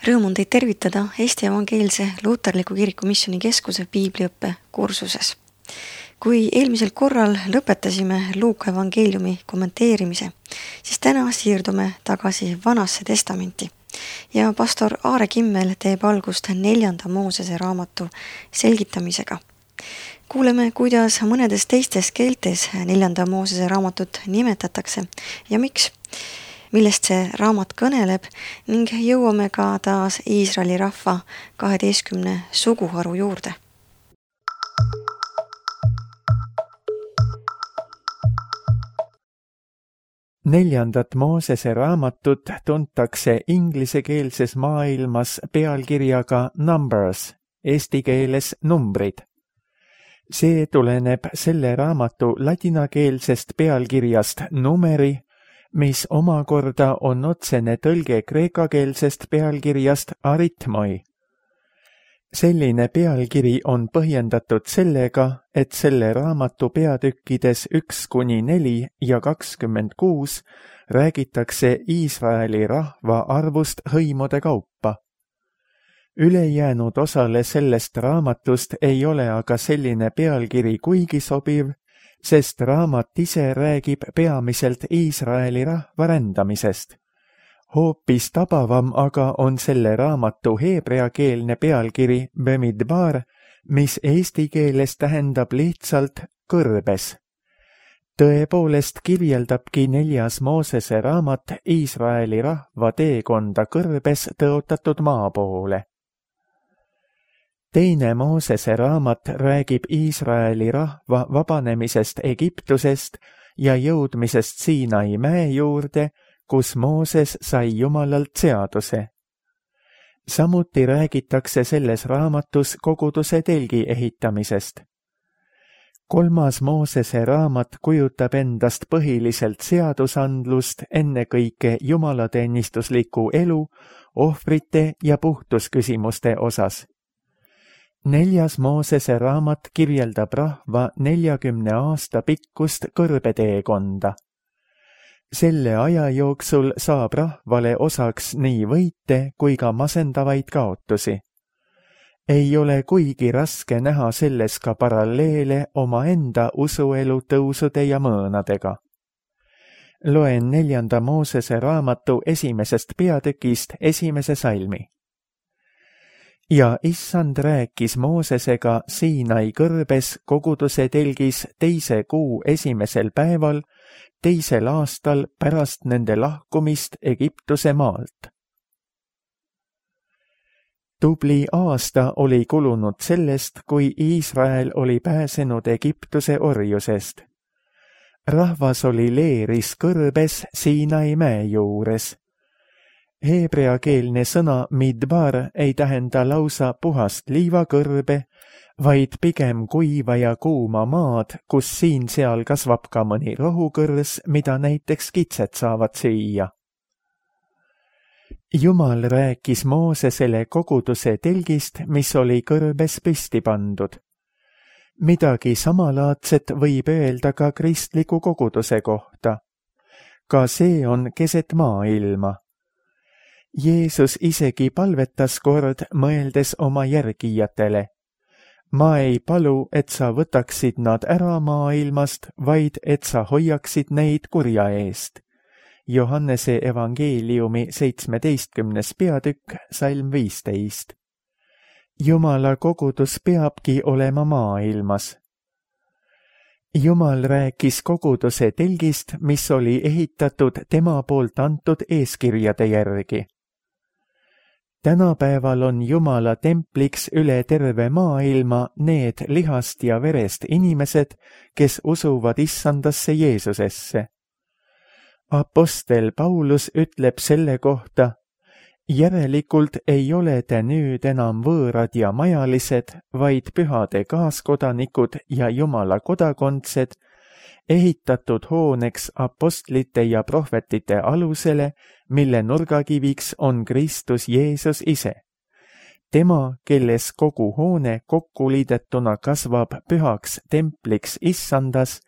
Rõõm on teid tervitada Eesti Evangeelse Luuterliku Kiriku Missiooni Keskuse piibliõppe kursuses. Kui eelmisel korral lõpetasime Luuka evangeeliumi kommenteerimise, siis täna siirdume tagasi Vanasse testamenti ja pastor Aare Kimmel teeb algust 4. Moosese raamatu selgitamisega. Kuuleme, kuidas mõnedes teistes keeltes 4. Moosese raamatut nimetatakse ja miks, millest see raamat kõneleb ning jõuame ka taas Iisraeli rahva 12 suguharu juurde. Neljandat Moosese raamatut tuntakse inglisekeelses maailmas pealkirjaga Numbers, eesti keeles numbrid. See tuleneb selle raamatu ladinakeelsest pealkirjast numeri, mis omakorda on otsene tõlge kreekakeelsest pealkirjast aritmoi. Selline pealkiri on põhjendatud sellega, et selle raamatu peatükkides 1-4 ja 26 räägitakse Iisraeli rahva arvust hõimude kaupa. Ülejäänud osale sellest raamatust ei ole aga selline pealkiri kuigi sobiv, sest raamat ise räägib peamiselt Iisraeli rahva rändamisest. Hoopis tabavam aga on selle raamatu heebreakeelne pealkiri Bemidbar, mis eesti keeles tähendab lihtsalt kõrbes. Tõepoolest kirjeldabki 4. Moosese raamat Iisraeli rahva teekonda kõrbes tõotatud maa poole. 2. Moosese raamat räägib Iisraeli rahva vabanemisest Egiptusest ja jõudmisest Siinai mäe juurde, kus Mooses sai Jumalalt seaduse. Samuti räägitakse selles raamatus koguduse telgi ehitamisest. 3. Moosese raamat kujutab endast põhiliselt seadusandlust ennekõike jumalateenistusliku elu, ohvrite ja puhtusküsimuste osas. 4. Moosese raamat kirjeldab rahva 40 aasta pikkust kõrbeteekonda. Selle aja jooksul saab rahvale osaks nii võite kui ka masendavaid kaotusi. Ei ole kuigi raske näha selles ka paralleele omaenda usuelu tõusude ja mõõnadega. Loen 4. Moosese raamatu 1. peatükist 1. salmi. Ja issand rääkis Moosesega Siinai kõrbes koguduse telgis 2. kuu 1. päeval, 2. aastal pärast nende lahkumist Egiptuse maalt. Tubli aasta oli kulunud sellest, kui Iisrael oli pääsenud Egiptuse orjusest. Rahvas oli leeris kõrbes Siinai mäe juures. Heebreakeelne sõna midbar ei tähenda lausa puhast liivakõrbe, vaid pigem kuiva ja kuuma maad, kus siin-seal kasvab ka mõni rohukõrs, mida näiteks kitsed saavad süüa. Jumal rääkis Moosesele koguduse telgist, mis oli kõrbes püsti pandud. Midagi samalaadset võib öelda ka kristliku koguduse kohta. Ka see on keset maailma. Jeesus isegi palvetas kord, mõeldes oma järgijatele. Ma ei palu, et sa võtaksid nad ära maailmast, vaid et sa hoiaksid neid kurja eest. Johannese evangeeliumi 17. peatükk, salm 15. Jumala kogudus peabki olema maailmas. Jumal rääkis koguduse telgist, mis oli ehitatud tema poolt antud eeskirjade järgi. Tänapäeval on Jumala templiks üle terve maailma need lihast ja verest inimesed, kes usuvad issandasse Jeesusesse. Apostel Paulus ütleb selle kohta, järelikult ei ole te nüüd enam võõrad ja majalised, vaid pühade kaaskodanikud ja Jumala kodakondsed, ehitatud hooneks apostlite ja prohvetite alusele, mille nurgakiviks on Kristus Jeesus ise. Tema, kelles kogu hoone kokkuliidetuna kasvab pühaks templiks issandas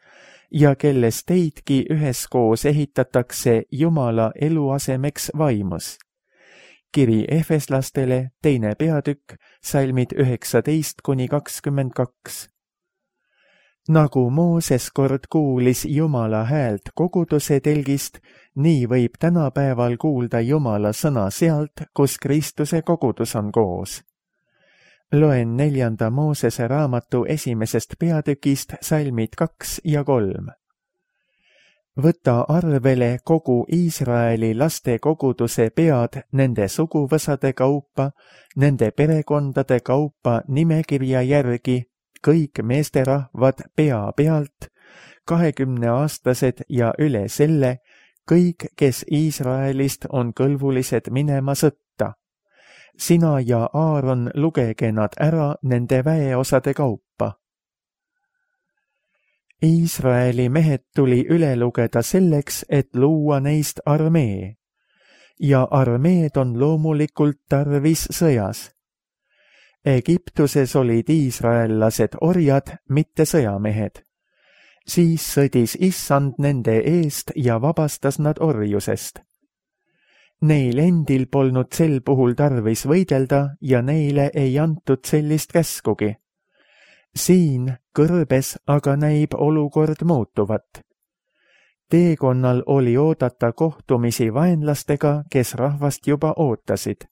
ja kelles teidki üheskoos ehitatakse Jumala eluasemeks vaimus. kiri Efeslastele, 2. peatükk, salmid 19–22. Nagu Mooses kord kuulis Jumala häält koguduse telgist, nii võib tänapäeval kuulda Jumala sõna sealt, kus Kristuse kogudus on koos. Loen 4. Moosese raamatu 1. peatükist salmid 2 ja 3. Võta arvele kogu Iisraeli laste koguduse pead nende suguvõsade kaupa, nende perekondade kaupa nimekirja järgi, kõik meesterahvad pea pealt, 20-aastased ja üle selle, kõik, kes Iisraelist on kõlbulised minema sõtta. Sina ja Aaron lugege nad ära nende väeosade kaupa. Iisraeli mehed tuli üle lugeda selleks, et luua neist armee. Ja armeed on loomulikult tarvis sõjas. Egiptuses olid iisraellased orjad, mitte sõjamehed. Siis sõdis Issand nende eest ja vabastas nad orjusest. Neil endil polnud sel puhul tarvis võidelda ja neile ei antud sellist käskugi. Siin kõrbes aga näib olukord muutuvat. Teekonnal oli oodata kohtumisi vaenlastega, kes rahvast juba ootasid.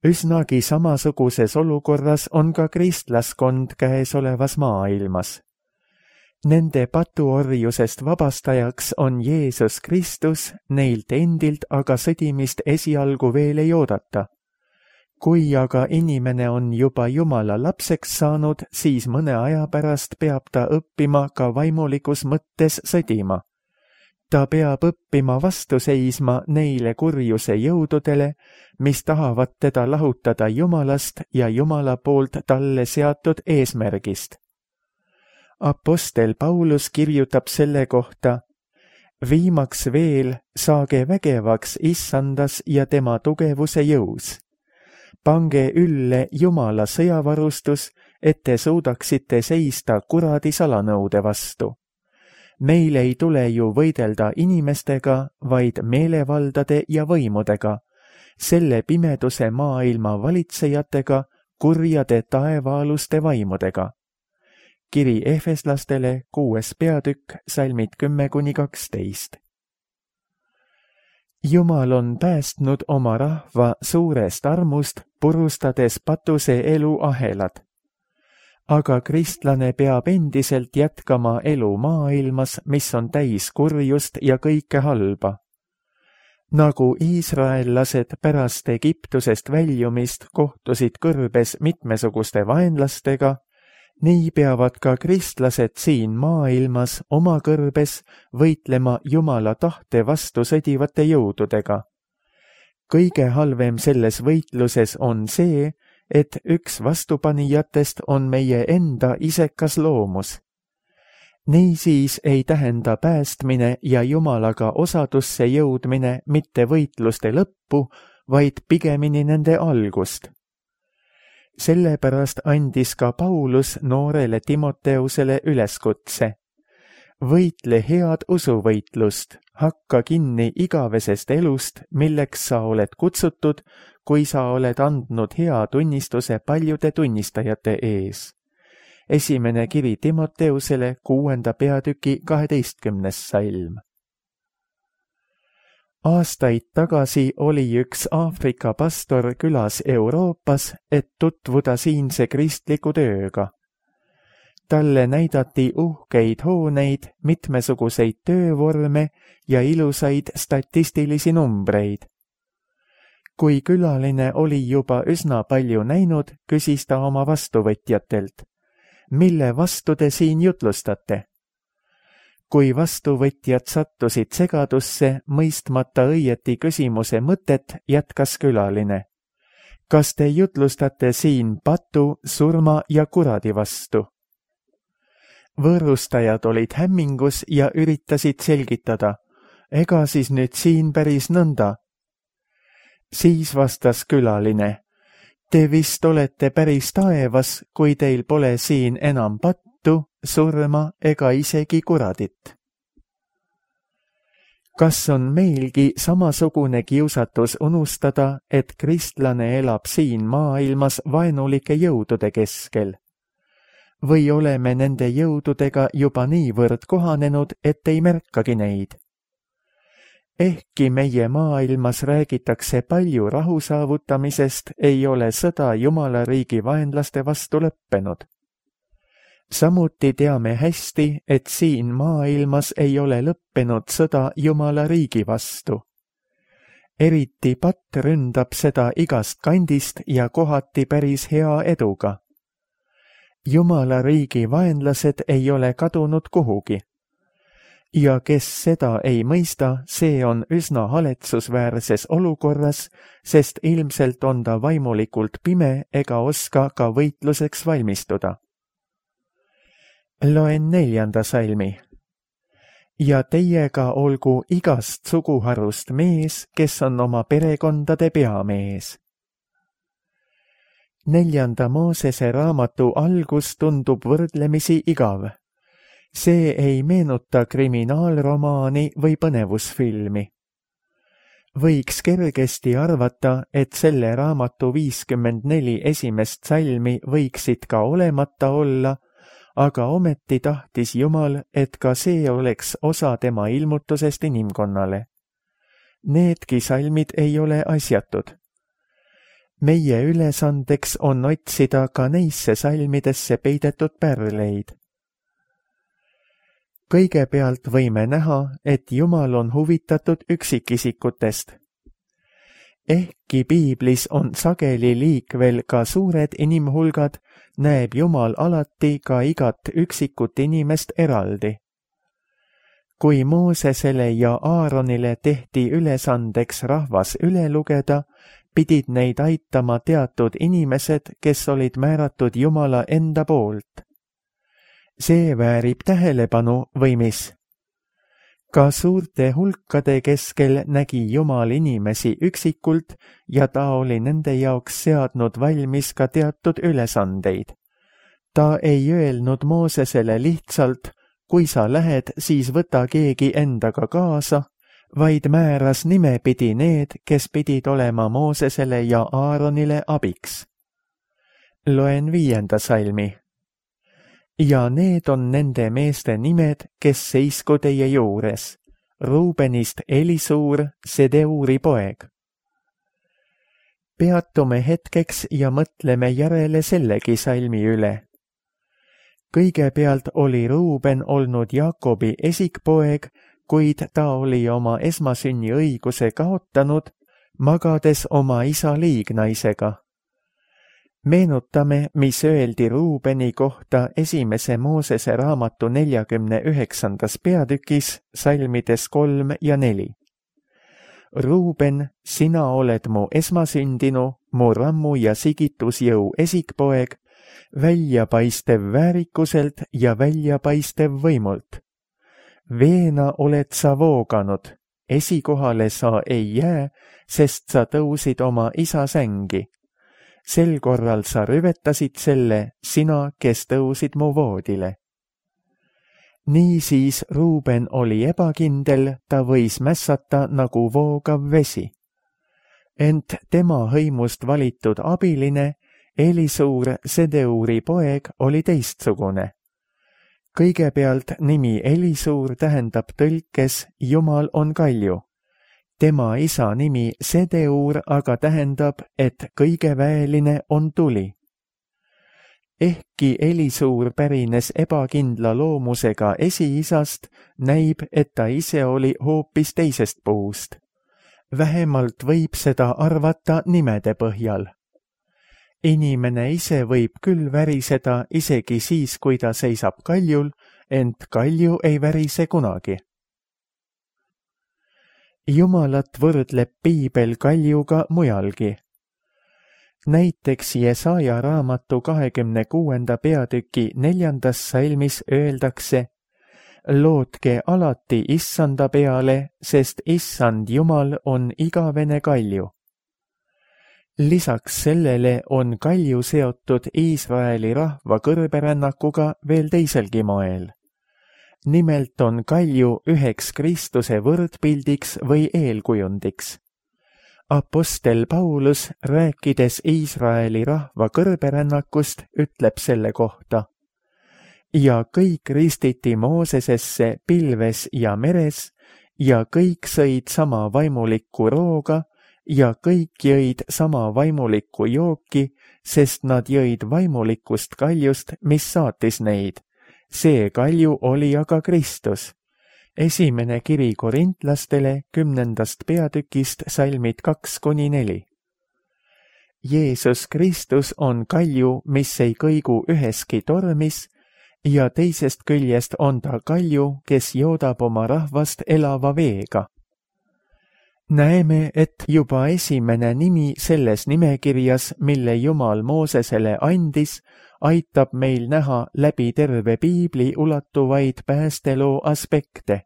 Üsnagi samasuguses olukorras on ka kristlaskond käesolevas maailmas. Nende patuorjusest vabastajaks on Jeesus Kristus, neilt endilt aga sõdimist esialgu veel ei oodata. Kui aga inimene on juba Jumala lapseks saanud, siis mõne aja pärast peab ta õppima ka vaimulikus mõttes sõdima. Ta peab õppima vastu seisma neile kurjuse jõududele, mis tahavad teda lahutada Jumalast ja Jumala poolt talle seatud eesmärgist. Apostel Paulus kirjutab selle kohta: viimaks veel saage vägevaks Issandas ja tema tugevuse jõus. Pange ülle Jumala sõjavarustus, et te suudaksite seista kuradi salanõude vastu. Meil ei tule ju võidelda inimestega, vaid meelevaldade ja võimudega, selle pimeduse maailma valitsejatega, kurjade taevaaluste vaimudega. Kiri Efeslastele, 6. peatükk, salmid 10–12. Jumal on päästnud oma rahva suurest armust, purustades patuse elu ahelad. Aga kristlane peab endiselt jätkama elu maailmas, mis on täis kurjust ja kõike halba. Nagu iisraellased pärast Egiptusest väljumist kohtusid kõrbes mitmesuguste vaenlastega, nii peavad ka kristlased siin maailmas oma kõrbes võitlema Jumala tahte vastu sõdivate jõududega. Kõige halvem selles võitluses on see, et üks vastupanijatest on meie enda isekas loomus. Niisiis ei tähenda päästmine ja Jumalaga osadusse jõudmine mitte võitluste lõppu, vaid pigemini nende algust. Sellepärast andis ka Paulus noorele Timoteusele üleskutse. Võitle head usuvõitlust, hakka kinni igavesest elust, milleks sa oled kutsutud, kui sa oled andnud hea tunnistuse paljude tunnistajate ees. 1. kiri Timoteusele, 6. peatüki 12. salm. Aastaid tagasi oli üks Aafrika pastor külas Euroopas, et tutvuda siinse kristliku tööga. Talle näidati uhkeid hooneid, mitmesuguseid töövorme ja ilusaid statistilisi numbreid. Kui külaline oli juba üsna palju näinud, küsis ta oma vastuvõtjatelt: mille vastu te siin jutlustate? Kui vastuvõtjad sattusid segadusse, mõistmata õieti küsimuse mõtet, jätkas külaline: kas te jutlustate siin patu, surma ja kuradi vastu? Võõrustajad olid hämmingus ja üritasid selgitada: ega siis nüüd siin päris nõnda? Siis vastas külaline: te vist olete päris taevas, kui teil pole siin enam pattu, surma ega isegi kuradit. kas on meilgi samasugune kiusatus unustada, et kristlane elab siin maailmas vaenulike jõudude keskel? Või oleme nende jõududega juba niivõrd kohanenud, et ei märkagi neid? Ehkki meie maailmas räägitakse palju rahu saavutamisest, ei ole sõda Jumala riigi vaenlaste vastu lõppenud. Samuti teame hästi, et siin maailmas ei ole lõppenud sõda Jumala riigi vastu. Eriti patt ründab seda igast kandist ja kohati päris hea eduga. Jumala riigi vaenlased ei ole kadunud kuhugi. Ja kes seda ei mõista, see on üsna haletsusväärses olukorras, sest ilmselt on ta vaimulikult pime ega oska ka võitluseks valmistuda. Loen 4. salmi. Ja teiega olgu igast suguharust mees, kes on oma perekondade peamees. 4. Moosese raamatu algus tundub võrdlemisi igav. See ei meenuta kriminaalromaani või põnevusfilmi. Võiks kergesti arvata, et selle raamatu 54 esimest salmi võiksid ka olemata olla, aga ometi tahtis Jumal, et ka see oleks osa tema ilmutusest inimkonnale. Needki salmid ei ole asjatud. Meie ülesandeks on otsida ka neisse salmidesse peidetud pärleid. Kõigepealt võime näha, et Jumal on huvitatud üksikisikutest. Ehkki piiblis on sageli liikvel ka suured inimhulgad, näeb Jumal alati ka igat üksikut inimest eraldi. Kui Moosesele ja Aaronile tehti ülesandeks rahvas üle lugeda, pidid neid aitama teatud inimesed, kes olid määratud Jumala enda poolt. See väärib tähelepanu või mis? Ka suurte hulkade keskel nägi Jumal inimesi üksikult ja ta oli nende jaoks seadnud valmis ka teatud ülesandeid. Ta ei öelnud Moosesele lihtsalt, kui sa lähed, siis võta keegi endaga kaasa, vaid määras nimepidi need, kes pidid olema Moosesele ja Aaronile abiks. Loen 5. salmi. Ja need on nende meeste nimed, kes seisku teie juures. Ruubenist Elisuur, Sedeuri poeg. Peatume hetkeks ja mõtleme järele sellegi salmi üle. Kõigepealt oli Ruuben olnud Jaakobi esikpoeg, kuid ta oli oma esmasünni õiguse kaotanud, magades oma isa liignaisega. Meenutame, mis öeldi Ruubeni kohta 1. Moosese raamatu 49. peatükis, salmides 3 ja 4. Ruuben, sina oled mu esmasündinu, mu rammu ja sigitusjõu esikpoeg, väljapaistev väärikuselt ja väljapaistev võimult. Veena oled sa vooganud, esikohale sa ei jää, sest sa tõusid oma isa sängi. Sel korral sa rüvetasid selle, sina, kes tõusid mu voodile. Niisiis Ruuben oli ebakindel, ta võis mässata nagu voogav vesi. Ent tema hõimust valitud abiline, Elisuur, Sedeuri poeg, oli teistsugune. Kõigepealt nimi Elisuur tähendab tõlkes Jumal on kalju. Tema isa nimi Sedeur aga tähendab, et kõige väeline on tuli. Ehkki Elisuur pärines ebakindla loomusega esiisast, näib, et ta ise oli hoopis teisest puust. Vähemalt võib seda arvata nimede põhjal. Inimene ise võib küll väriseda isegi siis, kui ta seisab kaljul, ent kalju ei värise kunagi. Jumalat võrdleb piibel kaljuga mujalgi. Näiteks Jesaja raamatu 26. peatüki 4. salmis öeldakse: lootke alati Issanda peale, sest Issand Jumal on igavene kalju. Lisaks sellele on kalju seotud Iisraeli rahva kõrberännakuga veel teiselgi moel. Nimelt on kalju üheks Kristuse võrdpildiks või eelkujundiks. Apostel Paulus, rääkides Iisraeli rahva kõrberännakust, ütleb selle kohta: ja kõik ristiti Moosesesse pilves ja meres ja kõik sõid sama vaimulikku rooga ja kõik jõid sama vaimulikku jooki, sest nad jõid vaimulikust kaljust, mis saatis neid. See kalju oli aga Kristus. Esimene kiri korintlastele 10. peatükist salmid 2-4. Jeesus Kristus on kalju, mis ei kõigu üheski tormis, ja teisest küljest on ta kalju, kes joodab oma rahvast elava veega. Näeme, et juba esimene nimi selles nimekirjas, mille Jumal Moosesele andis, aitab meil näha läbi terve piibli ulatuvaid päästeloo aspekte.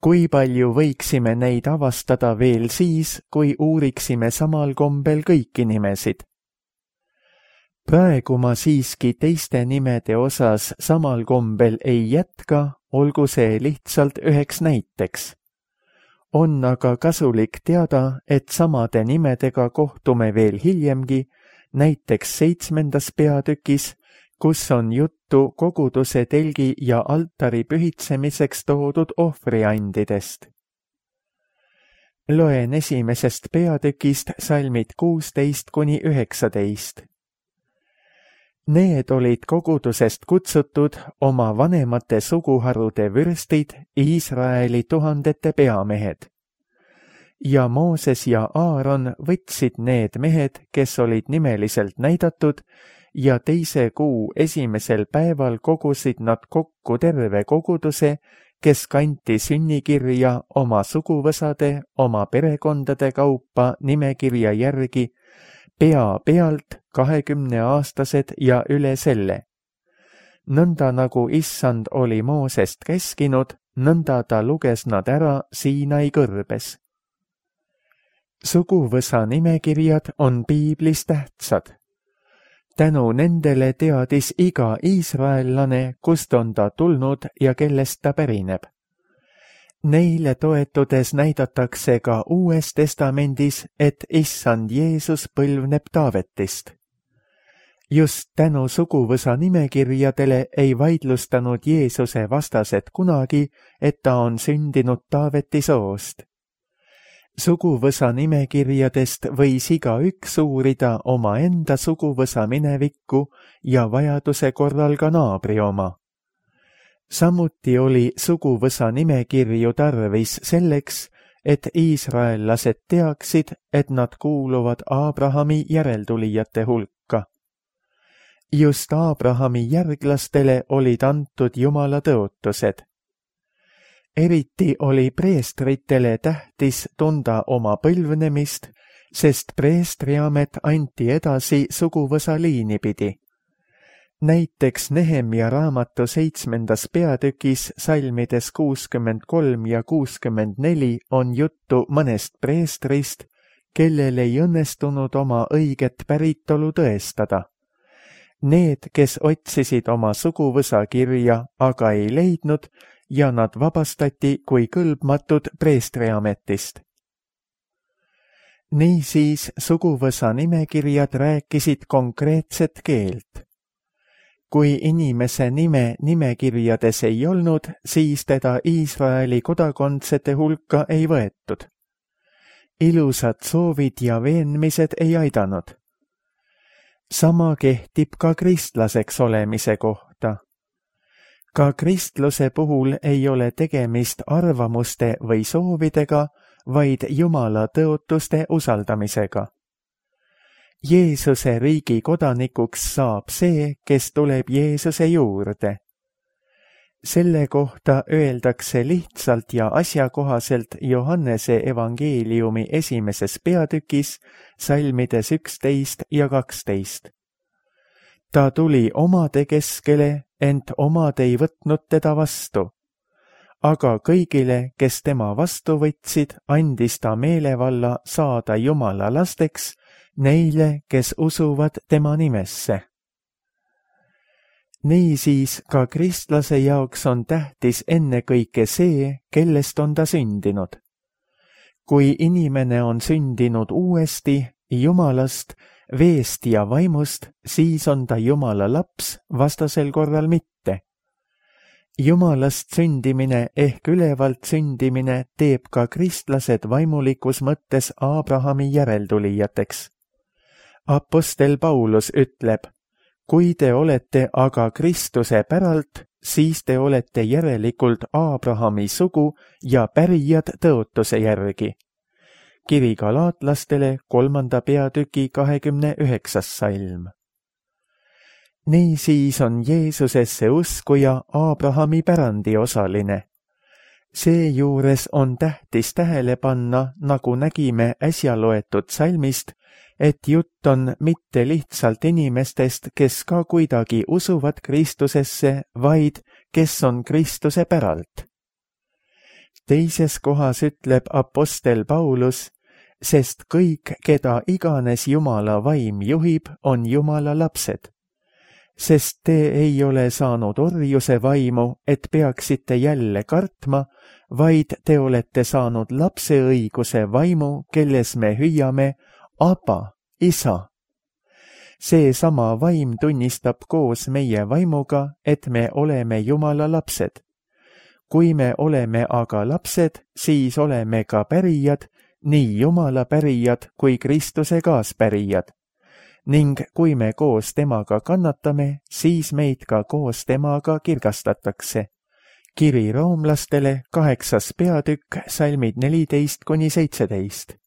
Kui palju võiksime neid avastada veel siis, kui uuriksime samal kombel kõiki nimesid? Praegu ma siiski teiste nimede osas samal kombel ei jätka, olgu see lihtsalt üheks näiteks. On aga kasulik teada, et samade nimedega kohtume veel hiljemgi, näiteks 7. peatükis, kus on juttu koguduse telgi ja altari pühitsemiseks toodud ohvriandidest. Loen 1. peatükist salmid 16-19. Need olid kogudusest kutsutud oma vanemate suguharude vürstid, Iisraeli 1000 peamehed. Ja Mooses ja Aaron võtsid need mehed, kes olid nimeliselt näidatud, ja teise kuu esimesel päeval kogusid nad kokku terve koguduse, kes kanti sünnikirja oma suguvõsade, oma perekondade kaupa nimekirja järgi, pea pealt 20-aastased ja üle selle. Nõnda nagu Issand oli Moosest käskinud, nõnda ta luges nad ära Siinai kõrbes. Suguvõsa nimekirjad on piiblis tähtsad. Tänu nendele teadis iga iisraellane, kust on ta tulnud ja kellest ta pärineb. Neile toetudes näidatakse ka Uues Testamendis, et Issand Jeesus põlvneb Taavetist. Just tänu suguvõsa nimekirjadele ei vaidlustanud Jeesuse vastased kunagi, et ta on sündinud Taaveti soost. Suguvõsa nimekirjadest võis igaüks uurida omaenda suguvõsa minevikku ja vajaduse korral ka naabri oma. Samuti oli suguvõsa nimekirju tarvis selleks, et iisraellased teaksid, et nad kuuluvad Aabrahami järeltulijate hulka. Just Aabrahami järglastele olid antud Jumala tõotused. Eriti oli preestritele tähtis tunda oma põlvnemist, sest preestriamet anti edasi suguvõsa liini pidi. Näiteks Nehemja raamatu 7. peatükis salmides 63 ja 64 on juttu mõnest preestrist, kellel ei õnnestunud oma õiget päritolu tõestada. Need, kes otsisid oma suguvõsa kirja, aga ei leidnud, ja nad vabastati kui kõlbmatud preestriametist. Niisiis suguvõsa nimekirjad rääkisid konkreetset keelt. Kui inimese nime nimekirjades ei olnud, siis teda Iisraeli kodakondsete hulka ei võetud. Ilusad soovid ja veenmised ei aidanud. Sama kehtib ka kristlaseks olemise kohta. Ka kristluse puhul ei ole tegemist arvamuste või soovidega, vaid Jumala tõotuste usaldamisega. Jeesuse riigi kodanikuks saab see, kes tuleb Jeesuse juurde. Selle kohta öeldakse lihtsalt ja asjakohaselt Johannese evangeeliumi 1. peatükis, salmides 11 ja 12. Ta tuli omade keskele, ent omad ei võtnud teda vastu. Aga kõigile, kes tema vastu võtsid, andis ta meelevalla saada Jumala lasteks, neile, kes usuvad tema nimesse. Niisiis ka kristlase jaoks on tähtis ennekõike see, kellest on ta sündinud. Kui inimene on sündinud uuesti Jumalast, veest ja vaimust, siis on ta Jumala laps, vastasel korral mitte. Jumalast sündimine ehk ülevalt sündimine teeb ka kristlased vaimulikus mõttes Abrahami järeltulijateks. Apostel Paulus ütleb, kui te olete aga Kristuse päralt, siis te olete järelikult Abrahami sugu ja pärijad tõotuse järgi. Kiri galaatlastele 3. peatüki 29. salm. Niisiis on Jeesusesse uskuja Abrahami pärandi osaline. Seejuures on tähtis tähele panna, nagu nägime äsja loetud salmist, et jutt on mitte lihtsalt inimestest, kes ka kuidagi usuvad Kristusesse, vaid kes on Kristuse päralt. Teises kohas ütleb apostel Paulus, sest kõik, keda iganes Jumala vaim juhib, on Jumala lapsed. Sest te ei ole saanud orjuse vaimu, et peaksite jälle kartma, vaid te olete saanud lapseõiguse vaimu, kelles me hüüame Abba, isa. Seesama vaim tunnistab koos meie vaimuga, et me oleme Jumala lapsed. Kui me oleme aga lapsed, siis oleme ka pärijad, nii Jumala pärijad kui Kristuse kaaspärijad. Ning kui me koos temaga kannatame, siis meid ka koos temaga kirgastatakse. Kiri roomlastele 8. peatükk, salmid 14–17.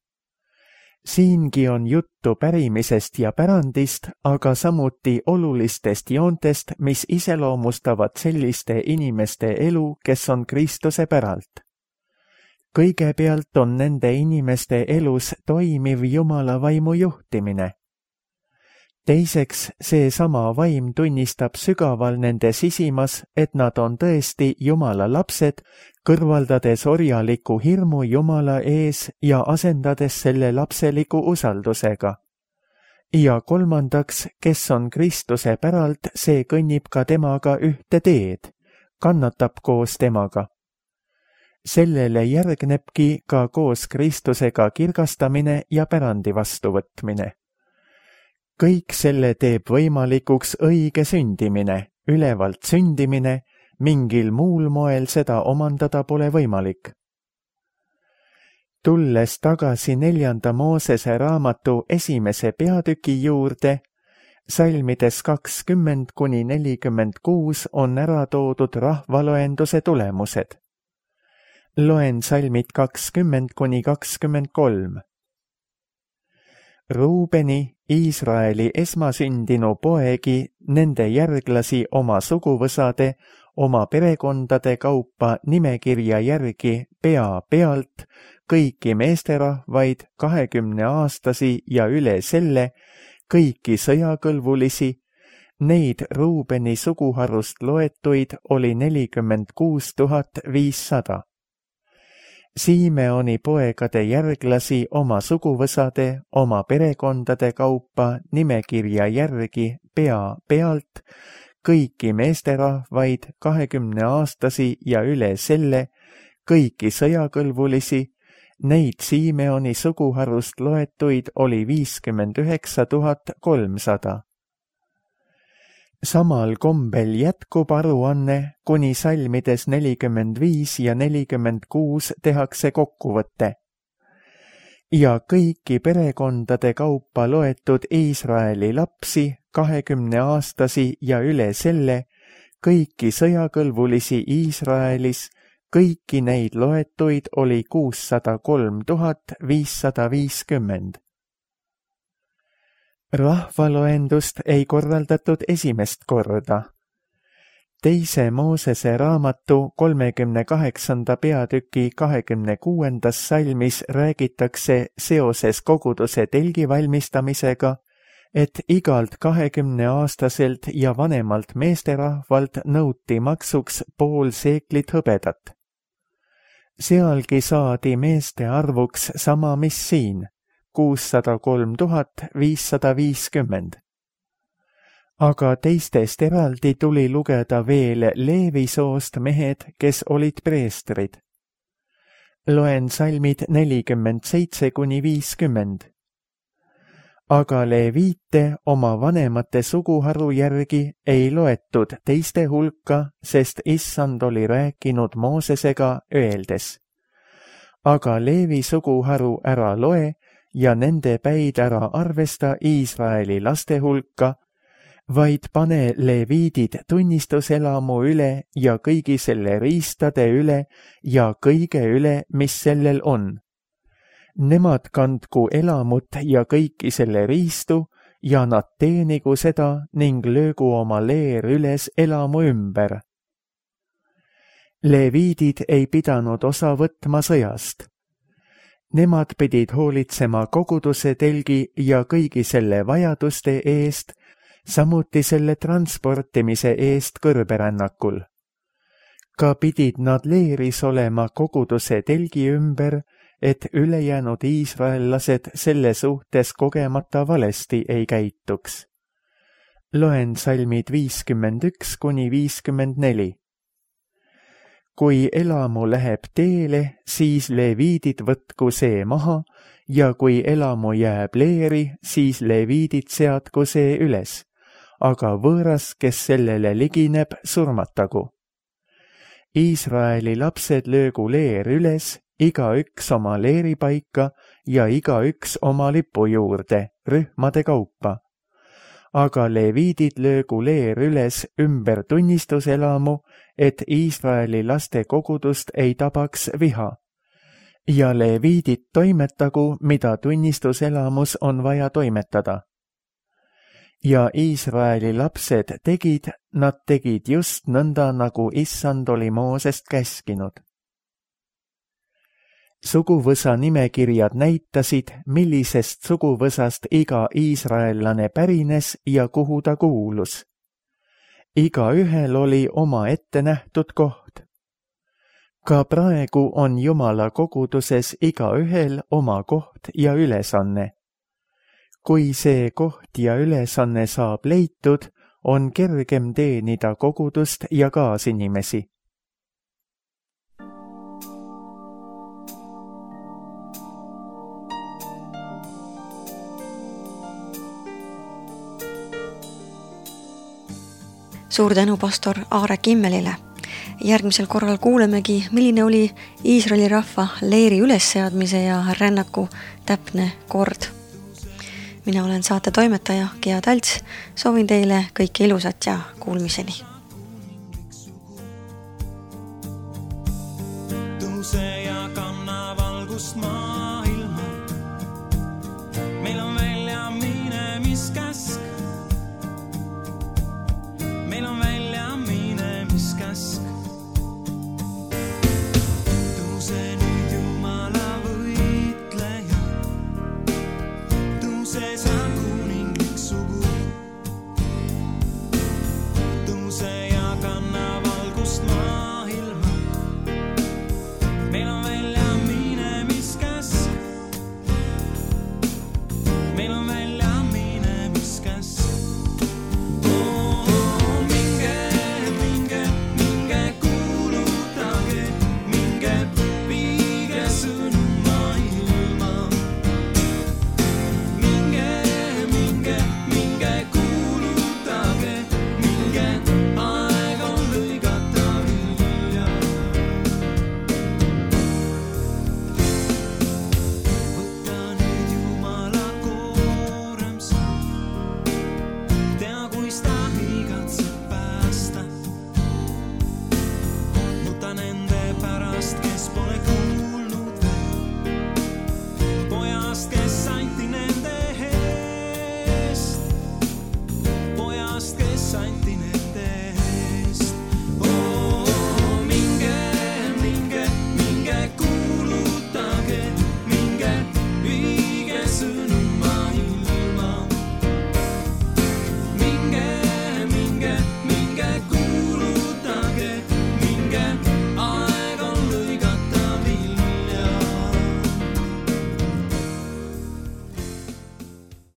Siingi on juttu pärimisest ja pärandist, aga samuti olulistest joontest, mis iseloomustavad selliste inimeste elu, kes on Kristuse päralt. Kõigepealt on nende inimeste elus toimiv Jumala vaimu juhtimine. Teiseks, seesama vaim tunnistab sügaval nende sisimas, et nad on tõesti Jumala lapsed, kõrvaldades orjaliku hirmu Jumala ees ja asendades selle lapseliku usaldusega. Ja kolmandaks, kes on Kristuse päralt, see kõnnib ka temaga ühte teed, kannatab koos temaga. Sellele järgnebki ka koos Kristusega kirgastamine ja pärandi vastuvõtmine. Kõik selle teeb võimalikuks õige sündimine, ülevalt sündimine, mingil muul moel seda omandada pole võimalik. Tulles tagasi 4. Moosese raamatu 1. peatüki juurde, salmides 20–46 on ära toodud rahvaloenduse tulemused. Loen salmid 20–23. Ruubeni, Iisraeli esmasündinu poegi, nende järglasi oma suguvõsade, oma perekondade kaupa nimekirja järgi pea pealt, kõiki meesterahvaid 20-aastasi ja üle selle, kõiki sõjakõlbulisi, neid Ruubeni suguharust loetuid oli 46 500. Siimeoni poegade järglasi oma suguvõsade, oma perekondade kaupa nimekirja järgi pea pealt, kõiki meesterahvaid 20-aastasi ja üle selle, kõiki sõjakõlbulisi, neid Siimeoni suguharust loetuid oli 59 300. Samal kombel jätkub aruanne, kuni salmides 45 ja 46 tehakse kokkuvõte. Ja kõiki perekondade kaupa loetud Iisraeli lapsi, 20-aastasi ja üle selle, kõiki sõjakõlbulisi Iisraelis, kõiki neid loetuid oli 603 550. Rahvaloendust ei korraldatud esimest korda. 2. Moosese raamatu 38. peatüki 26. salmis räägitakse seoses koguduse telgi valmistamisega, et igalt 20-aastaselt ja vanemalt meesterahvalt nõuti maksuks pool seeklit hõbedat. Sealgi saadi meeste arvuks sama, mis siin, 603 550. aga teistest eraldi tuli lugeda veel Leevi soost mehed, kes olid preestrid. Loen salmid 47–50. Aga leviite oma vanemate suguharu järgi ei loetud teiste hulka, sest Issand oli rääkinud Moosesega öeldes. Aga Leevi suguharu ära loe ja nende päid ära arvesta Iisraeli laste hulka, vaid pane leviidid tunnistuselamu üle ja kõigi selle riistade üle ja kõige üle, mis sellel on. Nemad kandku elamut ja kõiki selle riistu ja nad teenigu seda ning löögu oma leer üles elamu ümber. Leviidid ei pidanud osa võtma sõjast. Nemad pidid hoolitsema koguduse telgi ja kõigi selle vajaduste eest, samuti selle transportimise eest kõrberännakul. Ka pidid nad leeris olema koguduse telgi ümber, et ülejäänud iisraellased selle suhtes kogemata valesti ei käituks. Loen salmid 51–54. Kui elamu läheb teele, siis leviidid võtku see maha ja kui elamu jääb leeri, siis leviidid seadku see üles, aga võõras, kes sellele ligineb, surmatagu. Iisraeli lapsed löögu leer üles, igaüks oma leeripaika ja igaüks oma lipu juurde, rühmade kaupa. Aga leviidid löögu leer üles ümber tunnistuselamu, et Iisraeli laste kogudust ei tabaks viha. Ja leviidid toimetagu, mida tunnistuselamus on vaja toimetada. Ja Iisraeli lapsed nad tegid just nõnda, nagu Issand oli Moosest käskinud. Suguvõsa nimekirjad näitasid, millisest suguvõsast iga iisraellane pärines ja kuhu ta kuulus. Igaühel oli oma ette nähtud koht. Ka praegu on Jumala koguduses igaühel oma koht ja ülesanne. Kui see koht ja ülesanne saab leitud, on kergem teenida kogudust ja kaasinimesi. Suur tänu pastor Aare Kimmelile. Järgmisel korral kuulemegi, milline oli Iisraeli rahva leeri ülesseadmise ja rännaku täpne kord. Mina olen saate toimetaja Gea Talts. Soovin teile kõike ilusat ja kuulmiseni. Tõuse ja kanna valgust maa.